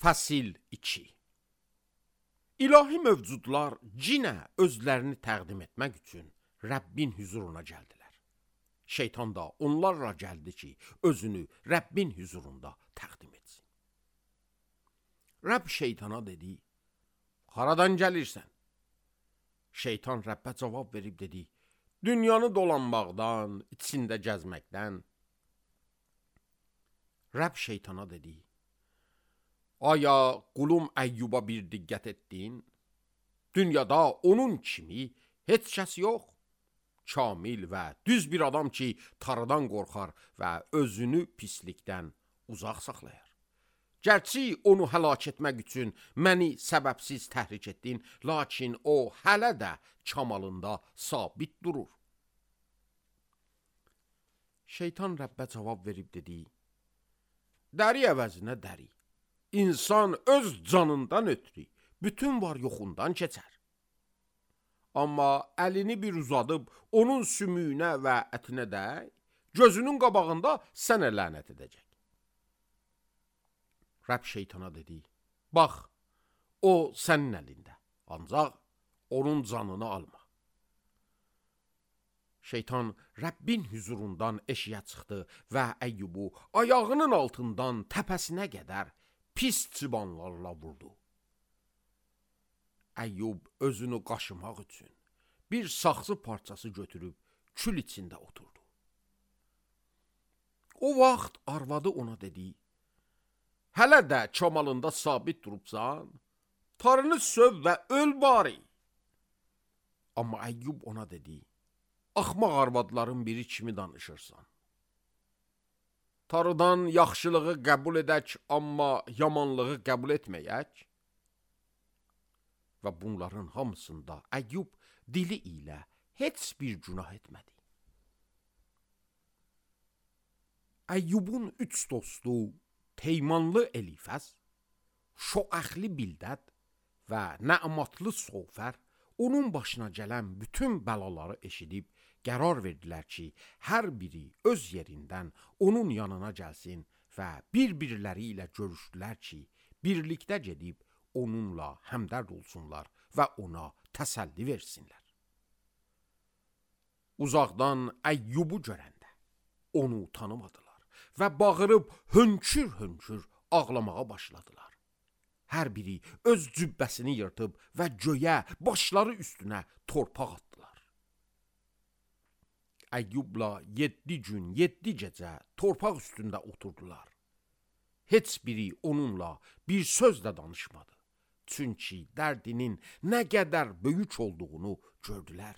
Fəsil 2. İlahi mövcudlar cinə özlərini təqdim etmək üçün Rəbbin huzuruna gəldilər. Şeytan da onlarla gəldi ki, özünü Rəbbin huzurunda təqdim etsin. Rəbb şeytana dedi, haradan gəlirsən? Şeytan Rəbbə cavab verib dedi, dünyanı dolanmaqdan, içində gəzməkdən. Rəbb şeytana dedi, aya qulum Əyyuba bir diqqət etdin? Dünyada onun kimi heç kəs yox. Kamil və düz bir adam ki, tarıdan qorxar və özünü pislikdən uzaq saxlayar. Gərçi onu həlak etmək üçün məni səbəbsiz təhrik etdin, lakin o hələ də kamalında sabit durur. Şeytan Rəbbə cavab verib dedi, dəri əvəzinə dəri. İnsan öz canından ötürü bütün var yoxundan keçər. Amma əlini bir uzadıb onun sümüyünə və ətinə dəy, gözünün qabağında sənə lənət edəcək. Rəbb şeytana dedi, bax, o sənin əlində, ancaq onun canını alma. Şeytan Rəbbin huzurundan eşiyə çıxdı və Əyyubu ayağının altından təpəsinə qədər pis çıbanlarla vurdu. Əyyub özünü qaşımaq üçün bir saxsı parçası götürüb kül içində oturdu. O vaxt arvadı ona dedi, hələ də çamalında sabit durubsan, tarını söv və öl bari. Amma Əyyub ona dedi, axmaq arvadların biri kimi danışırsan. Tarıdan yaxşılığı qəbul edək, amma yamanlığı qəbul etməyək. Və bunların hamısında Əyyub dili ilə heç bir günah etmədi. Əyyubun üç dostu Teymanlı Elifəz, Şoəxli Bildəd və Nə'matlı Sofər onun başına gələn bütün bəlaları eşidib qərar verdilər ki, hər biri öz yerindən onun yanına gəlsin və bir-birləri ilə görüşdülər ki, birlikdə gedib onunla həmdərd olsunlar və ona təsəlli versinlər. Uzaqdan Əyyubu görəndə onu tanımadılar və bağırıb hönkür-hönkür ağlamağa başladılar. Hər biri öz cübbəsini yırtıb və göyə başları üstünə torpaq atdılar. Əyyubla 7 gün, 7 gecə torpaq üstündə oturdular. Heç biri onunla bir söz də danışmadı. Çünki dərdinin nə qədər böyük olduğunu gördülər.